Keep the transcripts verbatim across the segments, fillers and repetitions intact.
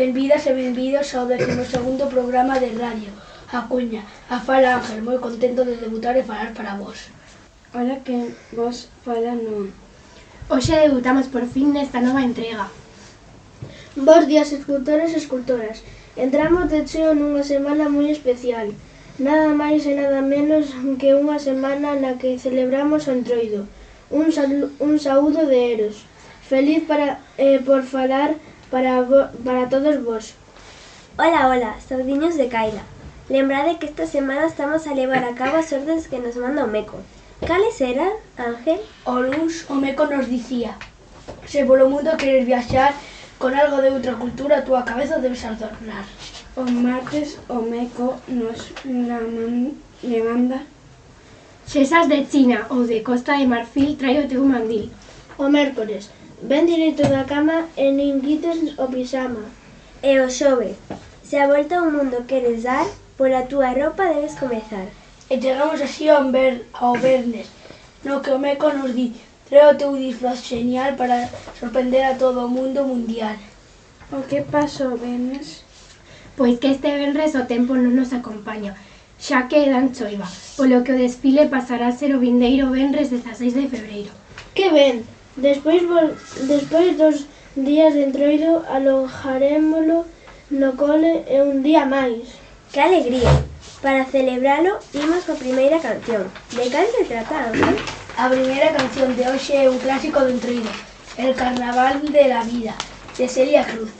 Benvidas e benvidos ao décimo segundo programa de radio A Cuña. A fala Ángel, moi contento de debutar e falar para vos. Ola, que vos fala non. Hoxe debutamos por fin nesta nova entrega. Bos días, escultores e escultoras. Entramos de cheo nunha semana moi especial. Nada máis e nada menos que unha semana na que celebramos o Entroido. Un, salu un saúdo de Eros. Feliz para, eh, por falar para, vo para todos vos. Ola, ola, saudiños de Caila. Lembrade que esta semana estamos a levar a cabo as ordes que nos manda o Meco. Cales eran, Ángel? O luns o Meco nos dicía: se polo mundo queres viaxar con algo de outra cultura, a túa cabeza debes adornar. O martes o Meco nos la man le manda: se esas de China ou de Costa de Marfil, trai o teu mandil. O mércores, ven direito da cama e nin quites o pixama. E o xoves, se a volta ao mundo queres dar, pola túa roupa debes comezar. E chegamos así ao, ver, ao vernes, no que o Meco nos di: trae o teu disfraz genial para sorprender a todo o mundo mundial. O que pasou, Benes? Pois que este venres o tempo non nos acompaña, xa que dan choiva, polo que o desfile pasará a ser o vindeiro venres dezaseis de febreiro. Que ben! Despois, despois dos días de Entroido alojarémolo no cole e un día máis. Que alegría! Para celebralo, imos coa primeira canción. De cal se trata, Ángel? A primeira canción de hoxe é un clásico do Entroido, El Carnaval de la Vida, de Celia Cruz.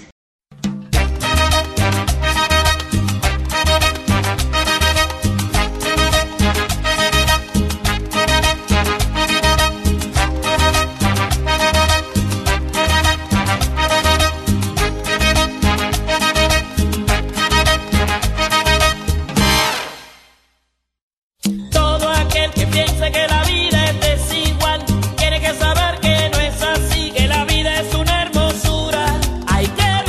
Hay que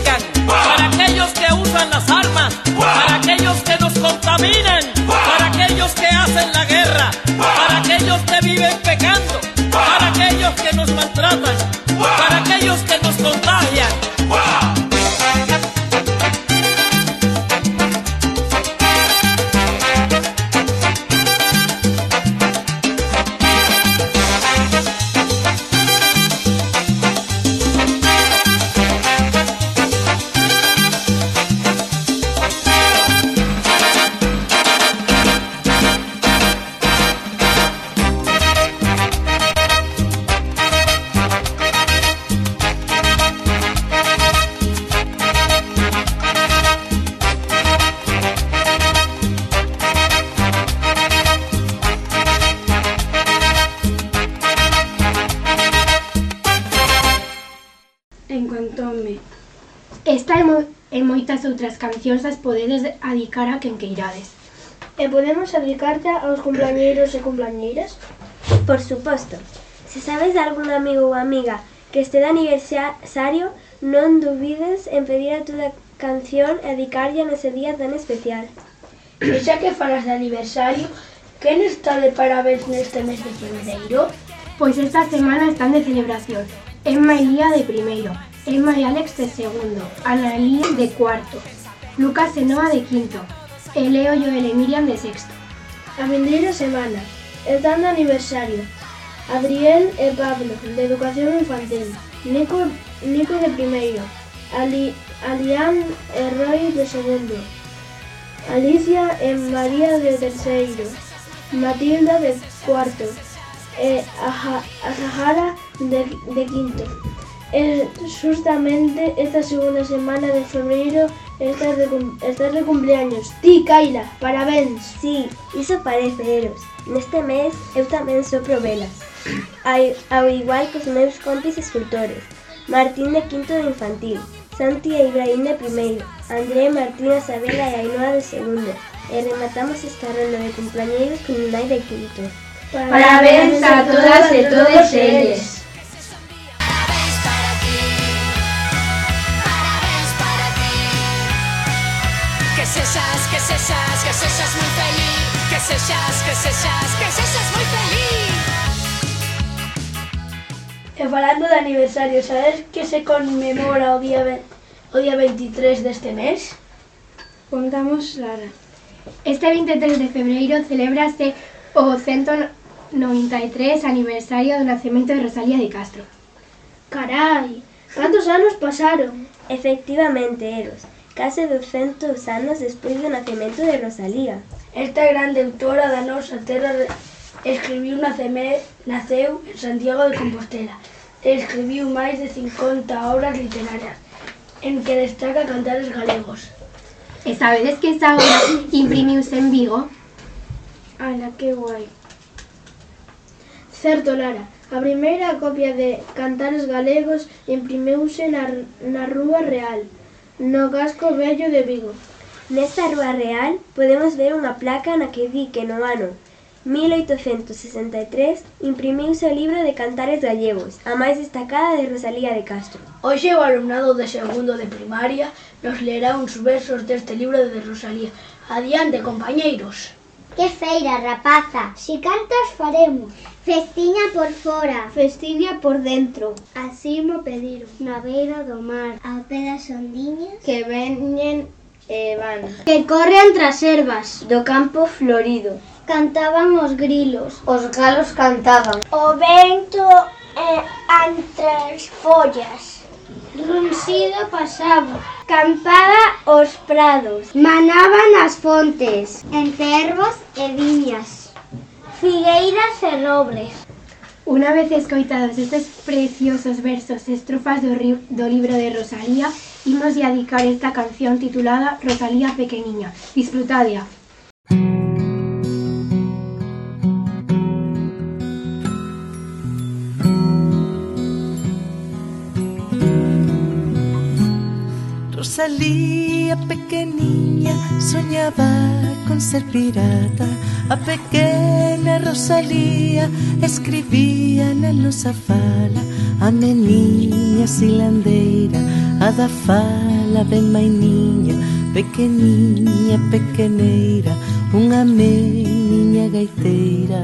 perjudican, para aquellos que usan las armas, para aquellos que nos contaminan, para aquellos que hacen la guerra, para aquellos que viven pecando, para aquellos que nos maltratan, para aquellos que nos contagian. Encantóme. Esta e, mo e moitas outras cancións as podedes adicar a quen queirades. E podemos adicarte aos cumpleañeiros e cumpleañeiras? Por suposto. Se sabes de algún amigo ou amiga que este de aniversario, non dubides en pedir a túa canción e dedicarlla nese día tan especial. E xa que falas de aniversario, quen está de parabéns neste mes de febreiro? Pois esta semana están de celebración. Emma e Lía de primeiro, Emma e Alex de segundo, Ana e Lía de cuarto, Lucas e Noa de quinto, e Leo, Joel e Miriam de sexto. A vindeira semana están de aniversario Adriel e Pablo de educación infantil, Nico, Nico de primeiro, Ali, Alián e Roy de segundo, Alicia e María de terceiro, Matilda de cuarto e a, a Sahara de, de quinto. E justamente esta segunda semana de febreiro estás de, estás de cumpleaños. Ti, Kaila, parabéns. Sí, iso parece, Eros. Neste mes eu tamén sopro velas, ao igual que os meus compis escultores, Martín de quinto de infantil, Santi e Ibrahim de primeiro, André, Martina, Isabela e Ainhoa de segundo. E rematamos esta ronda de cumpleañeiros con Unai de quinto. Parabéns a todas e todos eles. Parabéns para ti, parabéns para ti. Que sexas, que sexas, que sexas moi feliz. Que sexas, que sexas, que sexas moi feliz. E falando de aniversario, sabes que se conmemora o día, o día veintitrés deste mes? Contamos, Lara. Este veintitrés de febreiro celébrase o ciento noventa e tres aniversario do nacemento de Rosalía de Castro. Carai, cantos anos pasaron? Efectivamente, Eros, case douscentos anos despois do nacemento de Rosalía. Esta grande autora da nosa terra escribiu naceme, naceu en Santiago de Compostela e escribiu máis de cincuenta obras literarias, en que destaca Cantares Galegos. E sabedes que esa obra imprimiuse en Vigo? Ala, que guai. Certo, Lara, a primeira copia de Cantares Galegos imprimiuse na, na Rúa Real, no casco vello de Vigo. Nesta Rúa Real podemos ver unha placa na que di que no ano mil oitocentos sesenta e tres imprimiuse o libro de Cantares Gallegos, a máis destacada de Rosalía de Castro. Hoxe o alumnado de segundo de primaria nos lerá uns versos deste libro de Rosalía. Adiante, compañeiros. Que feira, rapaza, si cantas faremos. Festiña por fora, Festiña por dentro, así mo pediron. Na beira do mar, ao pé das ondiñas, que veñen e van. que corren tras ervas. Do campo florido, Cantaban os grilos, os galos cantaban. o vento eh, entre as follas. Runcido pasaba, Campaba os prados, manaban as fontes, en cervos e viñas, figueiras e robles. Unha vez escoitados estes preciosos versos e estrofas do, do libro de Rosalía, imos a dedicar esta canción titulada Rosalía Pequeniña. Disfrutadia. Rosalía pequeniña soñaba con ser pirata. A pequena Rosalía escribía na nosa fala. A meniña silandeira a da fala ben mainiña, pequeniña, pequeneira, unha meniña gaiteira.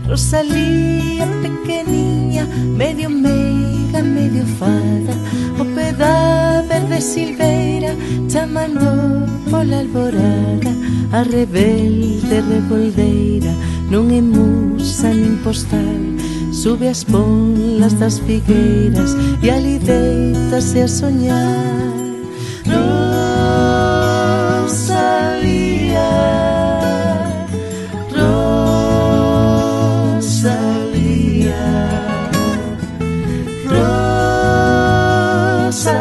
Rosalía pequeniña, medio meiga, medio fada, o pé da verde silveira, chamando pola alborada. A rebelde revoldeira non é musa nin postal, sube as ponlas das figueiras e ali deitase a soñar. Rosalía, Rosalía, Rosalía, Rosalía.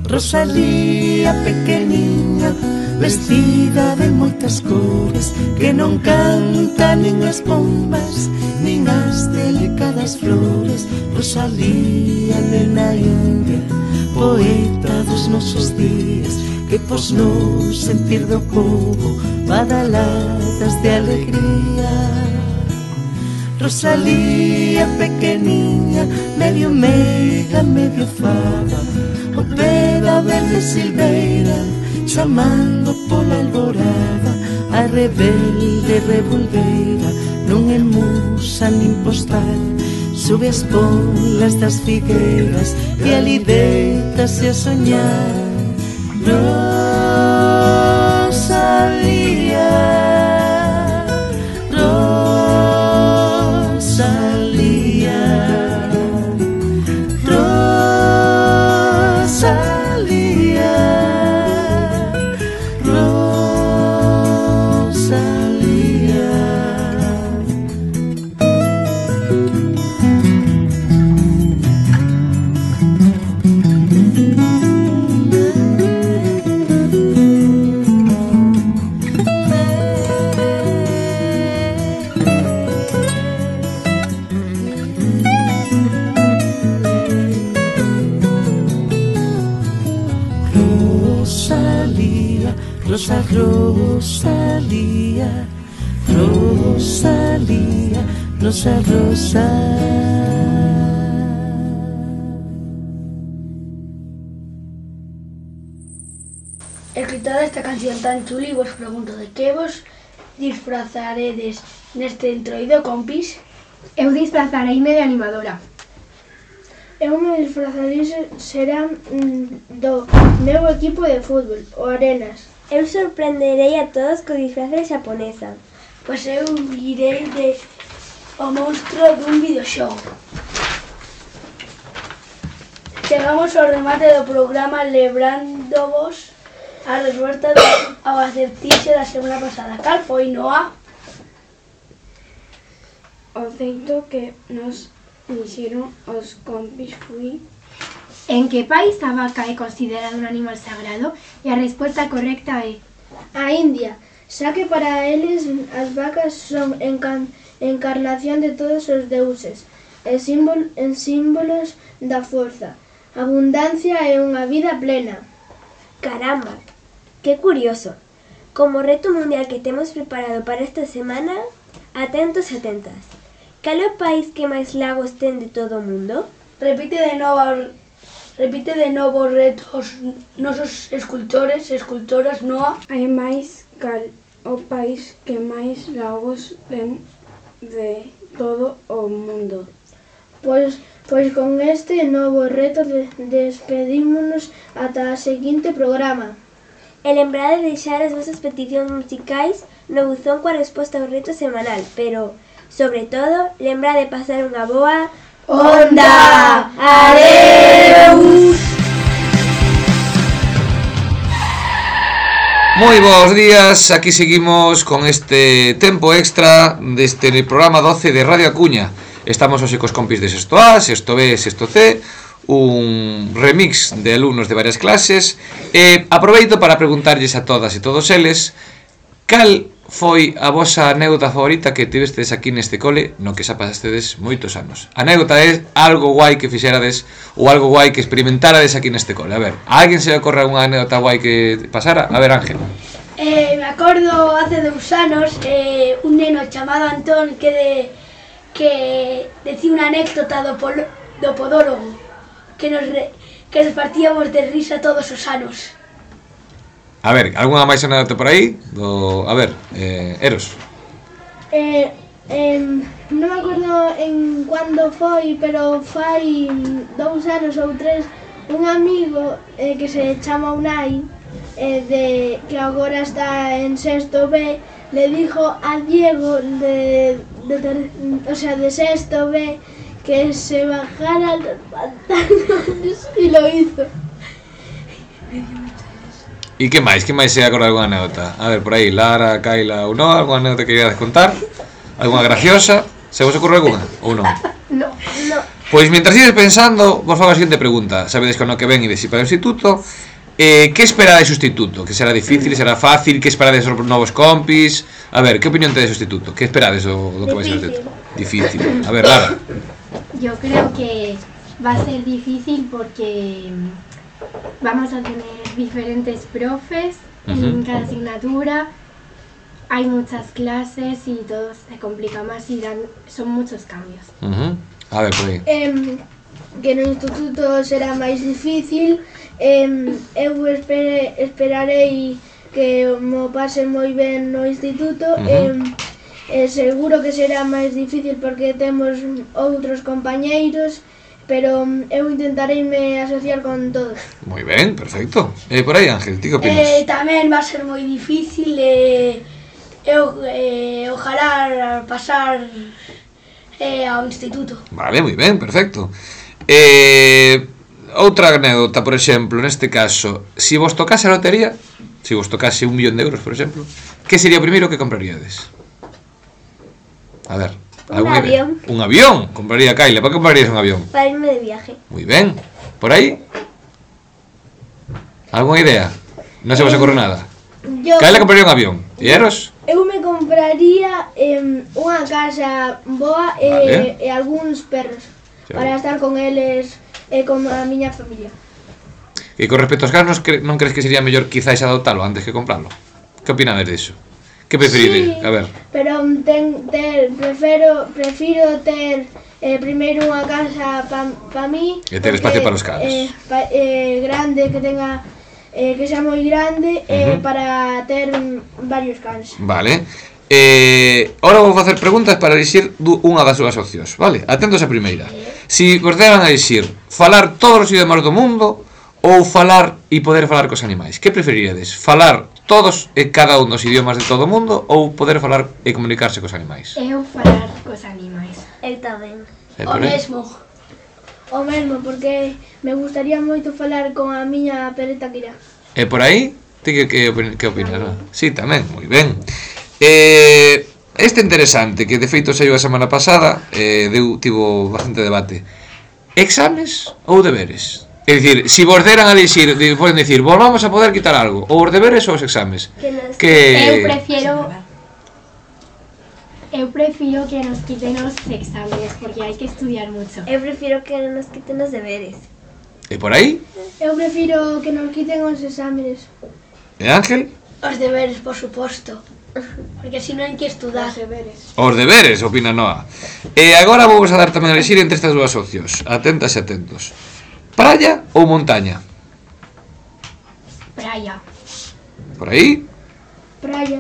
Rosalía pequeniña, vestida de moitas cores, que non canta nin as bombas, nin as delicadas flores. Rosalía, nena india, poeta dos nosos días, que pos no sentir do povo badaladas de alegría. Rosalía pequeniña, medio meiga, medio fada, o pé da verde silveira, chamando pola alborada. A rebelde revolveira non é musa nin postal, sube as polas das figueiras e ali deitase a soñar. Rosalía, Rosalía, Rosalía, Rosalía. Rosa, Rosalía, Rosalía, Rosa, Rosa. Escritada esta canción tan chula, vos pregunto de que vos disfrazaredes neste entroido, compis? Eu disfrazareime de animadora. Eu me disfrazarei será do meu equipo de fútbol, o Arenas. Eu sorprenderei a todos co disfraz de xaponesa. Pois eu irei de o monstro dun videoxogo. Chegamos ao remate do programa lembrando-vos a resposta ao acertixe da semana pasada. Cal foi, Noa? O feito que nos dixeron os compis foi: en que país a vaca é considerada un animal sagrado? E a resposta correcta é a India, xa que para eles as vacas son encan encarnación de todos os deuses e símbol en símbolos da forza, abundancia e unha vida plena. Caramba, que curioso. Como reto mundial que temos preparado para esta semana, atentos e atentas. Cal é o país que máis lagos ten de todo o mundo? Repite de novo Repite de novo os retos nosos escultores e escultoras, Noa. Hai máis cal o país que máis lagos ten de todo o mundo. Pois, pois con este novo reto de, despedímonos ata a seguinte programa. E lembrade de deixar as vosas peticións musicais no buzón coa resposta ao reto semanal, pero, sobre todo, lembrade de pasar unha boa onda. Adeus. Moi bons días, aquí seguimos con este tempo extra deste programa doce de Radio A Coruña. Estamos hoxe cos compis de sexto A, sexto B, sexto C, un remix de alumnos de varias clases. E aproveito para preguntarlles a todas e todos eles cal foi a vosa anécdota favorita que tivestes aquí neste cole no que xa pasastedes moitos anos? A anécdota é algo guai que fixerades ou algo guai que experimentarades aquí neste cole. A ver, a alguén se le ocorre unha anécdota guai que pasara? A ver, Ángel. Eh, me acordo hace dous anos eh, un neno chamado Antón que de, que decía unha anécdota do, polo, do podólogo que nos, re, que nos partíamos de risa todos os anos. A ver, algunha máis anécdota por aí? Do, a ver, eh, Eros. Eh, eh, non me acordo en cando foi, pero fai dous anos ou tres, un amigo eh, que se chama Unai, eh, de, que agora está en sexto B, le dijo a Diego de, de, ter, o sea, de sexto B que se bajara los pantalones y lo hizo. E que máis? Que máis se acorda algunha anécdota? A ver, por aí, Lara, Kaila ou non, algunha anécdota que queríades contar? Algunha graciosa? Se vos ocorre algunha? Ou non? No, no. Pois, mientras ides pensando, vos fago a seguinte pregunta. Sabedes que no que ven ides ir para o instituto. Eh, que esperades do instituto? Que será difícil, será fácil? Que esperades dos novos compis? A ver, que opinión tedes do instituto? Que esperades do, do que vai ser o instituto? Difícil. A ver, Lara. Yo creo que va a ser difícil porque vamos a tener diferentes profes en Ujú. cada asignatura, hay muchas clases y todo se complica más y dan, son muchos cambios. Uh-huh. A ver, por aí. Eh, que no instituto será máis difícil, eh, eu espere, esperarei que mo pase moi ben no instituto. Ujú. eh, eh, seguro que será máis difícil porque temos outros compañeiros, pero eu intentareime asociar con todos. Moi ben, perfecto. Eh, por aí, Ángel, ti que opinas? Eh, tamén va a ser moi difícil e eh, eu eh, ojalá pasar eh, ao instituto. Vale, moi ben, perfecto. Eh, outra anécdota, por exemplo, neste caso, se si vos tocase a lotería, se si vos tocase un millón de euros, por exemplo, que sería o primeiro que compraríades? A ver, Un alguna idea? avión. Un avión, compraría Kaila. ¿Para qué comprarías un avión? Para irme de viaje. Muy bien. ¿Por ahí? ¿Alguna idea? No se vos ocurre nada. Yo, Kaila compraría un avión. ¿Y Eros? eu me compraría eh, unha casa boa e, Vale. e algúns perros Xa. para estar con eles e con a miña familia. E con respecto aos carros, non crees que sería mellor quizáis adoptalo antes que comprarlo? Que opinades diso? Que preferides? Sí, A ver. pero ten, ter, prefiro, prefiro ter eh, primeiro unha casa pa, pa mí E ter porque, espacio para os cans. eh, pa, eh, grande, que tenga eh, que sea moi grande eh, Ujú. para ter mm, varios cans. Vale. Eh, ahora vou facer preguntas para elixir du- unha das súas opcións, vale? Atentos a primeira. Si vos deran a elixir falar todos os idiomas do mundo ou falar e poder falar cos animais, que preferiríades? Falar todos e cada un dos idiomas de todo o mundo ou poder falar e comunicarse cos animais? Eu falar cos animais. Eu tamén. Eh, O por aí? mesmo. O mesmo, porque me gustaría moito falar con a miña pereta Kira. E por aí? Ti que, que, opin- que opinas? Non? Sí, tamén, moi ben. Eh, este interesante, que de feito saiu a semana pasada, eh, deu, tivo bastante debate. Exames ou deberes? É dicir, si vos deran a elixir, de- poden dicir, vos vamos a poder quitar algo, ou os deberes ou os exames. Que nos... Que... Eu prefiero Eu prefiro que nos quiten os exámenes porque hai que estudiar mucho. Eu prefiro que nos quiten os deberes. E por aí? Eu prefiro que nos quiten os exámenes. E Ángel? Os deberes, por suposto. Porque si non hai que estudar. Os deberes. Os deberes, opina Noa. E agora vou a dar tamén a elixir entre estas dúas opcións. Atentas e atentos. Praia ou montaña? Praia. Por aí? Praia.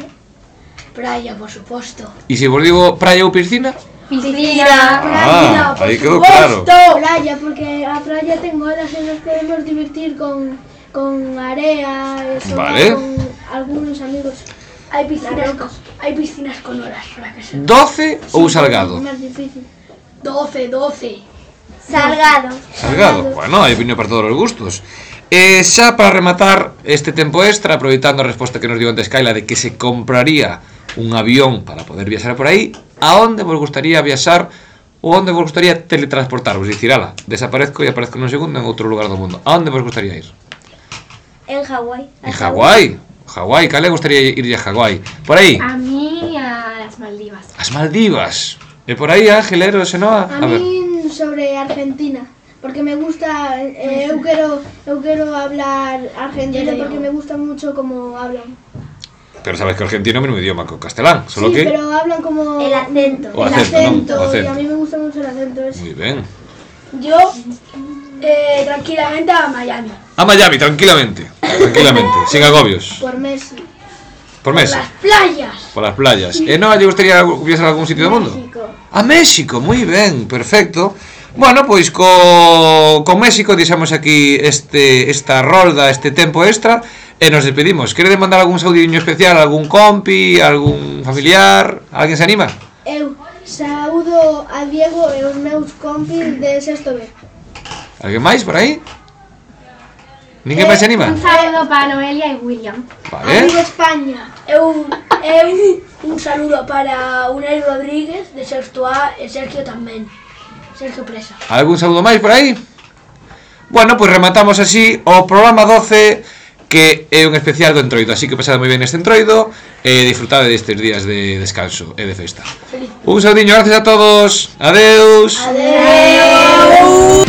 Praia, por suposto. E se vos digo praia ou piscina? Piscina. Ah, por aí quedou suposto. claro. Playa, porque a playa ten olas e nos podemos divertir con, con area, e xogar Vale. con algúns amigos. Hai piscinas, Na con, hai piscinas con horas para que se... Doce ou salgado? É máis difícil. doce, doce. Salgado. Salgado, bueno, hai opinión para todos os gustos. E xa para rematar este tempo extra, aproveitando a resposta que nos dio antes Kaila de que se compraría un avión para poder viaxar por aí, a onde vos gustaría viaxar ou onde vos gustaría teletransportarvos? Dicir, ala, desaparezco e aparezco nun segundo en outro lugar do mundo. A onde vos gustaría ir? En Hawái. En Hawái. Hawái, Kaila gustaría ir a Hawái. Por aí? A mí as Maldivas. As Maldivas. E por aí, Ángel, Ero, Xenoa? A min sobre Argentina, porque me gusta, eh, eu quero eu quero hablar argentino porque me gusta mucho como hablan. Pero sabes que o argentino é o mesmo idioma que o castelán, solo Sí, que... pero hablan como El acento. O el acento, acento, non? O y acento. a mí me gusta mucho el acento ese. Muy ben. Yo, eh, tranquilamente a Miami. A Miami, tranquilamente. Tranquilamente, sin agobios. Por Messi. Por Messi. Las playas. Por las playas. E non lle gustaría viaxar a algún sitio do mundo? México. A México, moi ben, perfecto. Bueno, pois co, con México deixamos aquí este esta rolda, este tempo extra e nos despedimos. Queredes mandar algún saudiño especial, algún compi, algún familiar? Alguén se anima? Eu saúdo a Diego e os meus compis de sexto B. Alguén máis por aí? Ninguén máis se anima? Un saludo para Noelia y William. Vale. Amigo España. Eu, eu, un saludo para Unai Rodríguez, de sexto A, e Sergio tamén. Sergio Presa. Algún saludo máis por aí? Bueno, pois rematamos así o programa doce, que é un especial do Entroido. Así que pasade moi ben este Entroido e disfrutade destes días de descanso e de festa. Un saudiño, gracias a todos. Adeus. Adeu.